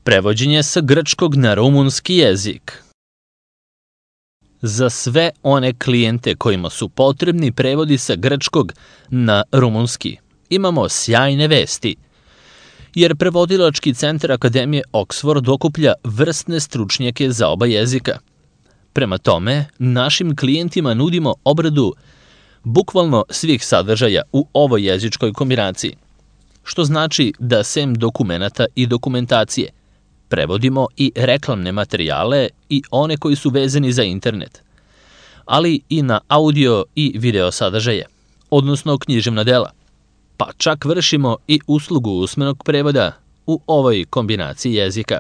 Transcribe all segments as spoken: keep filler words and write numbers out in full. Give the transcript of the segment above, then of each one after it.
Prevođenje sa grčkog na rumunski jezik. Za sve one klijente kojima su potrebni prevodi sa grčkog na rumunski, imamo sjajne vesti, jer prevodilački centar Akademije Oxford okuplja vrsne stručnjake za oba jezika. Prema tome, našim klijentima nudimo obradu bukvalno svih sadržaja u ovoj jezičkoj kombinaciji, što znači da sem dokumenata i dokumentacije prevodimo i reklamne materijale i one koji su vezani za internet, ali i na audio i video sadržaje, odnosno književna dela, pa čak vršimo i uslugu usmenog prevoda u ovoj kombinaciji jezika.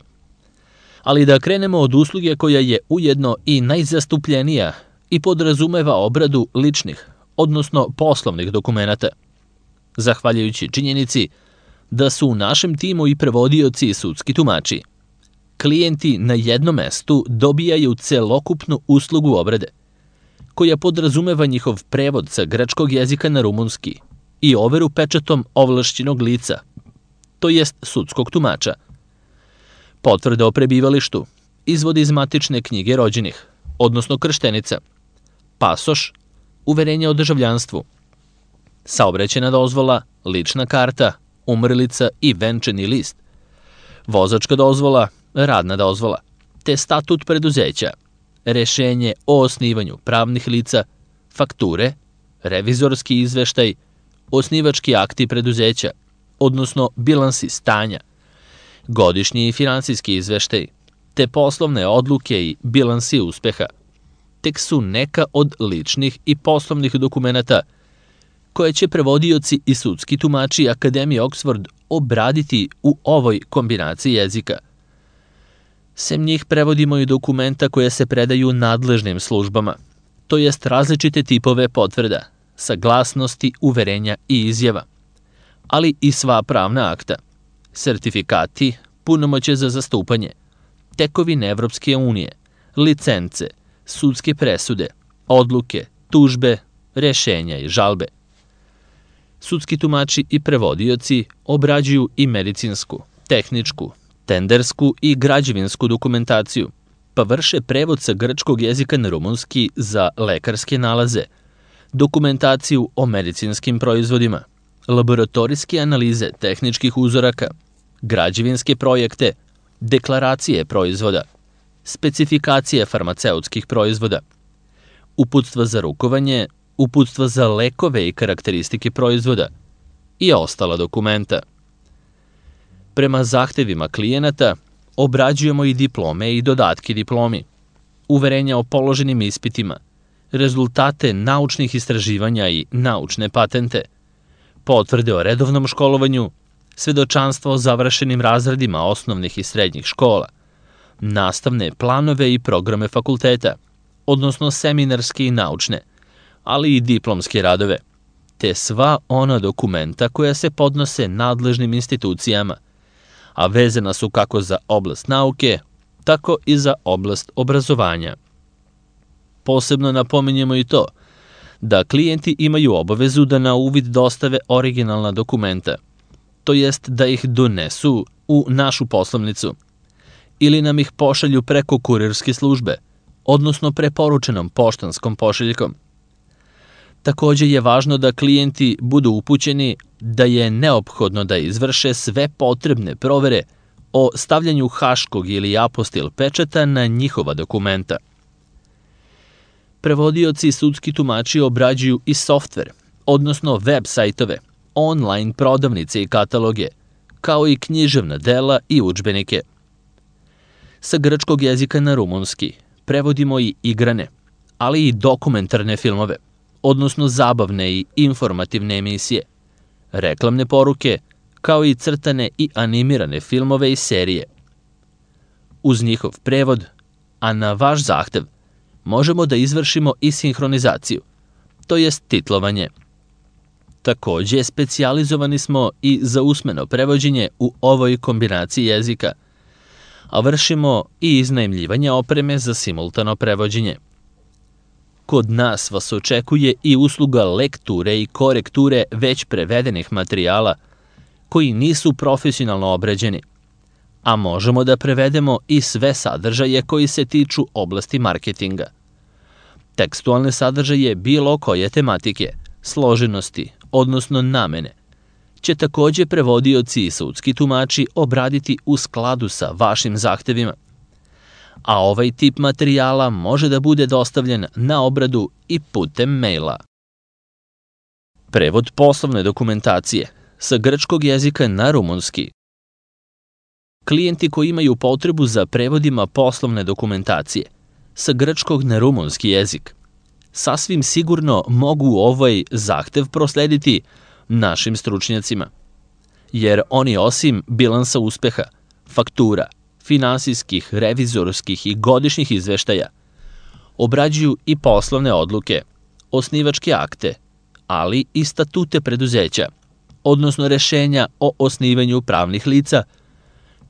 Ali da krenemo od usluge koja je ujedno i najzastupljenija i podrazumeva obradu ličnih, odnosno poslovnih dokumenata, zahvaljujući činjenici da su u našem timu i prevodioci i sudski tumači. Klijenti na jednom mestu dobijaju celokupnu uslugu obrade, koja podrazumeva njihov prevod sa grčkog jezika na rumunski i overu pečatom ovlašćenog lica, to jest sudskog tumača, potvrda o prebivalištu, izvod iz matične knjige rođenih, odnosno krštenica, pasoš, uverenje o državljanstvu, saobraćajna dozvola, lična karta, umrlica i venčani list, vozačka dozvola, radna dozvola, te statut preduzeća, rešenje o osnivanju pravnih lica, fakture, revizorski izveštaj, osnivački akti preduzeća, odnosno bilansi stanja, godišnji i finansijski izveštaj, te poslovne odluke i bilansi uspeha, tek su neka od ličnih i poslovnih dokumenata koje će prevodioci i sudski tumači Akademije Oxford obraditi u ovoj kombinaciji jezika. Sem njih prevodimo i dokumenta koje se predaju nadležnim službama, to jest različite tipove potvrda, saglasnosti, uverenja i izjava, ali i sva pravna akta, sertifikati, punomoćje za zastupanje, tekovine Evropske unije, licence, sudske presude, odluke, tužbe, rešenja i žalbe. Sudski tumači i prevodioci obrađuju i medicinsku, tehničku, tendersku i građevinsku dokumentaciju, pa vrše prevod sa grčkog jezika na rumunski za lekarske nalaze, dokumentaciju o medicinskim proizvodima, laboratorijske analize tehničkih uzoraka, građevinske projekte, deklaracije proizvoda, specifikacije farmaceutskih proizvoda, uputstva za rukovanje, uputstva za lekove i karakteristike proizvoda i ostala dokumenta. Prema zahtevima klijenata obrađujemo i diplome i dodatke diplomi, uverenja o položenim ispitima, rezultate naučnih istraživanja i naučne patente, potvrde o redovnom školovanju, svedočanstvo o završenim razredima osnovnih i srednjih škola, nastavne planove i programe fakulteta, odnosno seminarske i naučne, ali i diplomske radove, te sva ona dokumenta koja se podnose nadležnim institucijama, a vezana su kako za oblast nauke, tako i za oblast obrazovanja. Posebno napominjemo i to da klijenti imaju obavezu da na uvid dostave originalna dokumenta, to jest da ih donesu u našu poslovnicu ili nam ih pošalju preko kurirske službe, odnosno preporučenom poštanskom pošiljkom. Takođe je važno da klijenti budu upućeni da je neophodno da izvrše sve potrebne provere o stavljanju haškog ili apostil pečata na njihova dokumenta. Prevodioci i sudski tumači obrađuju i softver, odnosno web sajtove, online prodavnice i kataloge, kao i književna dela i udžbenike. Sa grčkog jezika na rumunski prevodimo i igrane, ali i dokumentarne filmove, odnosno zabavne i informativne emisije, reklamne poruke, kao i crtane i animirane filmove i serije. Uz njihov prevod, a na vaš zahtev, možemo da izvršimo i sinhronizaciju, to jest titlovanje. Takođe, specijalizovani smo i za usmeno prevođenje u ovoj kombinaciji jezika, a vršimo i iznajmljivanje opreme za simultano prevođenje. Kod nas vas očekuje i usluga lekture i korekture već prevedenih materijala koji nisu profesionalno obrađeni, a možemo da prevedemo i sve sadržaje koji se tiču oblasti marketinga. Tekstualne sadržaje bilo koje tematike, složenosti, odnosno namene, će takođe prevodioci i sudski tumači obraditi u skladu sa vašim zahtevima, a ovaj tip materijala može da bude dostavljen na obradu i putem maila. Prevod poslovne dokumentacije sa grčkog jezika na rumunski. Klijenti koji imaju potrebu za prevodima poslovne dokumentacije sa grčkog na rumunski jezik sasvim sigurno mogu ovaj zahtev proslediti našim stručnjacima, jer oni osim bilansa uspeha, faktura, finansijskih, revizorskih i godišnjih izveštaja obrađuju i poslovne odluke, osnivačke akte, ali i statute preduzeća, odnosno rešenja o osnivanju pravnih lica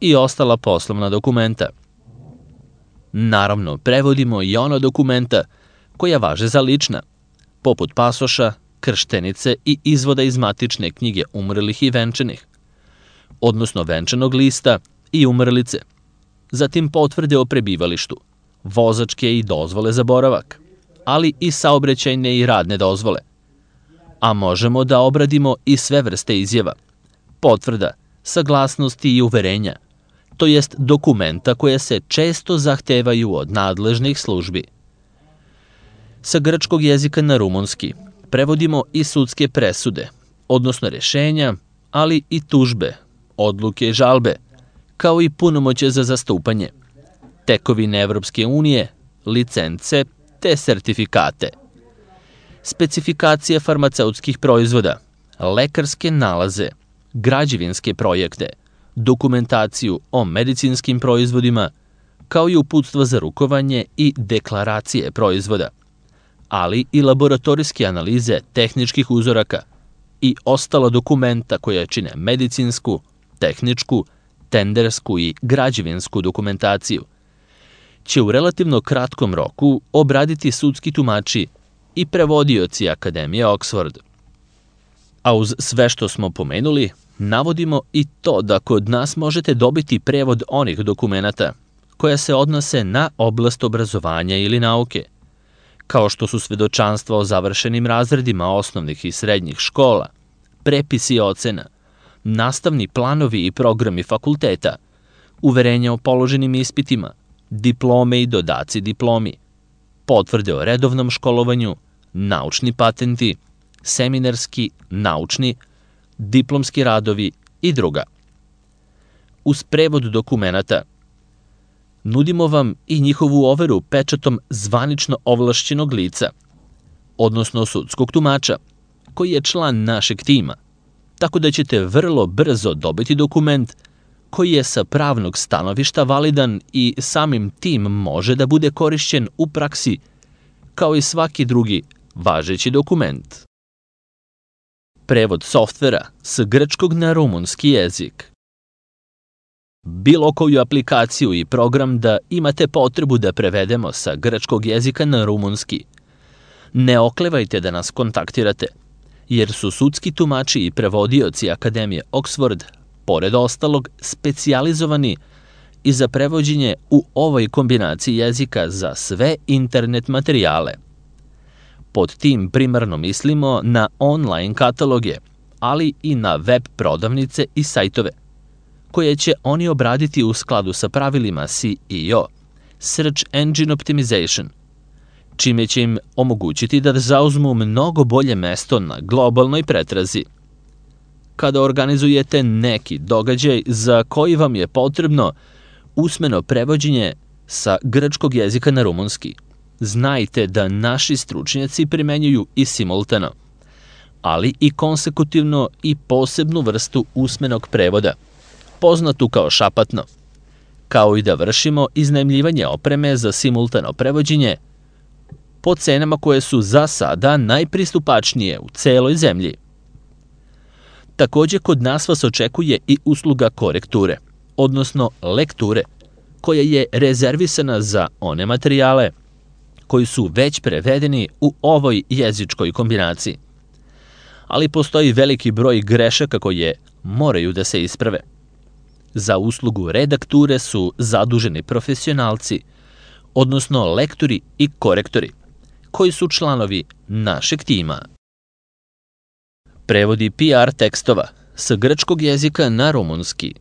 i ostala poslovna dokumenta. Naravno, prevodimo i ona dokumenta koja važe za lična, poput pasoša, krštenice i izvoda iz matične knjige umrlih i venčanih, odnosno venčanog lista i umrlice, zatim potvrde o prebivalištu, vozačke i dozvole za boravak, ali i saobraćajne i radne dozvole. A možemo da obradimo i sve vrste izjava, potvrda, saglasnosti i uverenja, to jest dokumenta koje se često zahtevaju od nadležnih službi. Sa grčkog jezika na rumunski prevodimo i sudske presude, odnosno rešenja, ali i tužbe, odluke i žalbe, kao i punomoće za zastupanje, tekovine Evropske unije, licence te sertifikate, specifikacije farmaceutskih proizvoda, lekarske nalaze, građevinske projekte, dokumentaciju o medicinskim proizvodima, kao i uputstva za rukovanje i deklaracije proizvoda, ali i laboratorijske analize tehničkih uzoraka i ostala dokumenta koja čine medicinsku, tehničku, tendersku i građevinsku dokumentaciju, će u relativno kratkom roku obraditi sudski tumači i prevodioci Akademije Oxford. A uz sve što smo pomenuli, navodimo i to da kod nas možete dobiti prevod onih dokumenata koja se odnose na oblast obrazovanja ili nauke, kao što su svedočanstva o završenim razredima osnovnih i srednjih škola, prepisi ocena, nastavni planovi i programi fakulteta, uverenja o položenim ispitima, diplome i dodaci diplomi, potvrde o redovnom školovanju, naučni patenti, seminarski, naučni, diplomski radovi i druga. Uz prevod dokumenata nudimo vam i njihovu overu pečatom zvanično ovlašćenog lica, odnosno sudskog tumača, koji je član našeg tima, tako da ćete vrlo brzo dobiti dokument koji je sa pravnog stanovišta validan i samim tim može da bude korišćen u praksi kao i svaki drugi važeći dokument. Prevod softvera s grčkog na rumunski jezik. Bilo koju aplikaciju i program da imate potrebu da prevedemo sa grčkog jezika na rumunski, ne oklevajte da nas kontaktirate, jer su sudski tumači i prevodioci Akademije Oxford, pored ostalog, specijalizovani i za prevođenje u ovoj kombinaciji jezika za sve internet materijale. Pod tim primarno mislimo na online kataloge, ali i na web prodavnice i sajtove, koje će oni obraditi u skladu sa pravilima S E O, Search Engine Optimization, čime će im omogućiti da zauzmu mnogo bolje mesto na globalnoj pretrazi. Kada organizujete neki događaj za koji vam je potrebno usmeno prevođenje sa grčkog jezika na rumunski, znajte da naši stručnjaci primenjuju i simultano, ali i konsekutivno i posebnu vrstu usmenog prevoda, poznatu kao šapatno, kao i da vršimo iznajmljivanje opreme za simultano prevođenje po cenama koje su za sada najpristupačnije u celoj zemlji. Takođe, kod nas vas očekuje i usluga korekture, odnosno lekture, koja je rezervisana za one materijale koji su već prevedeni u ovoj jezičkoj kombinaciji. Ali postoji veliki broj grešaka koje moraju da se isprave. Za uslugu redakture su zaduženi profesionalci, odnosno lektori i korektori, koji su članovi našeg tima. Prevodi P R tekstova sa grčkog jezika na rumunski.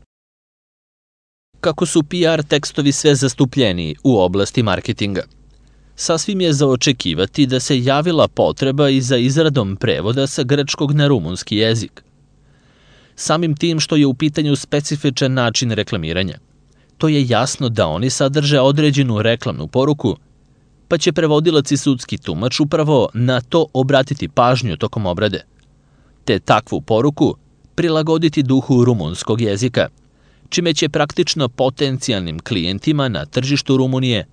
Kako su P R tekstovi sve zastupljeniji u oblasti marketinga, sasvim je za očekivati da se javila potreba i za izradom prevoda sa grčkog na rumunski jezik. Samim tim što je u pitanju specifičan način reklamiranja, to je jasno da oni sadrže određenu reklamnu poruku, pa će prevodilac i sudski tumač upravo na to obratiti pažnju tokom obrade, te takvu poruku prilagoditi duhu rumunskog jezika, čime će praktično potencijalnim klijentima na tržištu Rumunije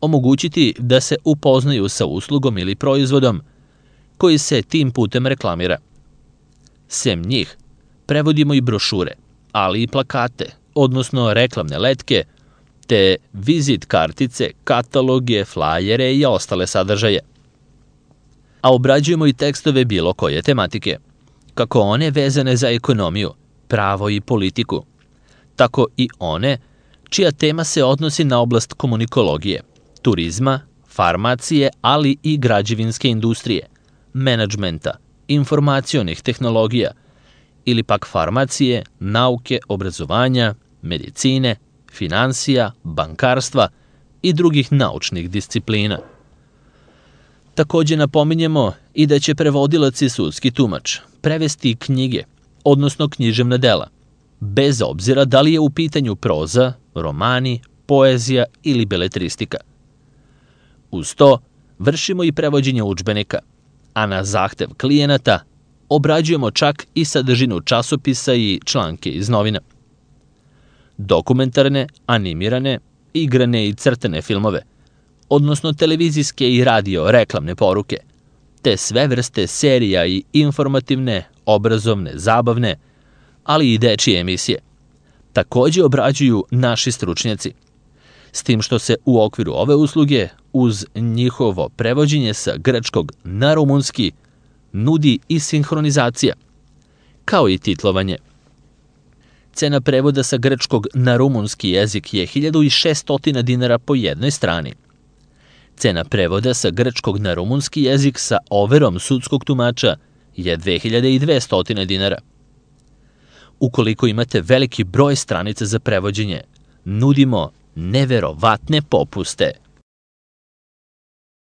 omogućiti da se upoznaju sa uslugom ili proizvodom koji se tim putem reklamira. Sem njih, prevodimo i brošure, ali i plakate, odnosno reklamne letke, te vizit kartice, kataloge, flajere i ostale sadržaje. A obrađujemo i tekstove bilo koje tematike, kako one vezane za ekonomiju, pravo i politiku, tako i one čija tema se odnosi na oblast komunikologije, turizma, farmacije, ali i građevinske industrije, menadžmenta, informacionih tehnologija, ili pak farmacije, nauke, obrazovanja, medicine, finansija, bankarstva i drugih naučnih disciplina. Takođe napominjemo i da će prevodilac i sudski tumač prevesti knjige, odnosno književna dela, bez obzira da li je u pitanju proza, romani, poezija ili beletristika. Uz to vršimo i prevođenje udžbenika, a na zahtev klijenata obrađujemo čak i sadržinu časopisa i članke iz novina. Dokumentarne, animirane, igrane i crtane filmove, odnosno televizijske i radio reklamne poruke, te sve vrste serija i informativne, obrazovne, zabavne, ali i dečije emisije, takođe obrađuju naši stručnjaci, s tim što se u okviru ove usluge, uz njihovo prevođenje sa grčkog na rumunski, nudi i sinhronizacija, kao i titlovanje. Cena prevoda sa grčkog na rumunski jezik je hiljadu šesto dinara po jednoj strani. Cena prevoda sa grčkog na rumunski jezik sa overom sudskog tumača je dve hiljade dvesta dinara. Ukoliko imate veliki broj stranica za prevođenje, nudimo neverovatne popuste.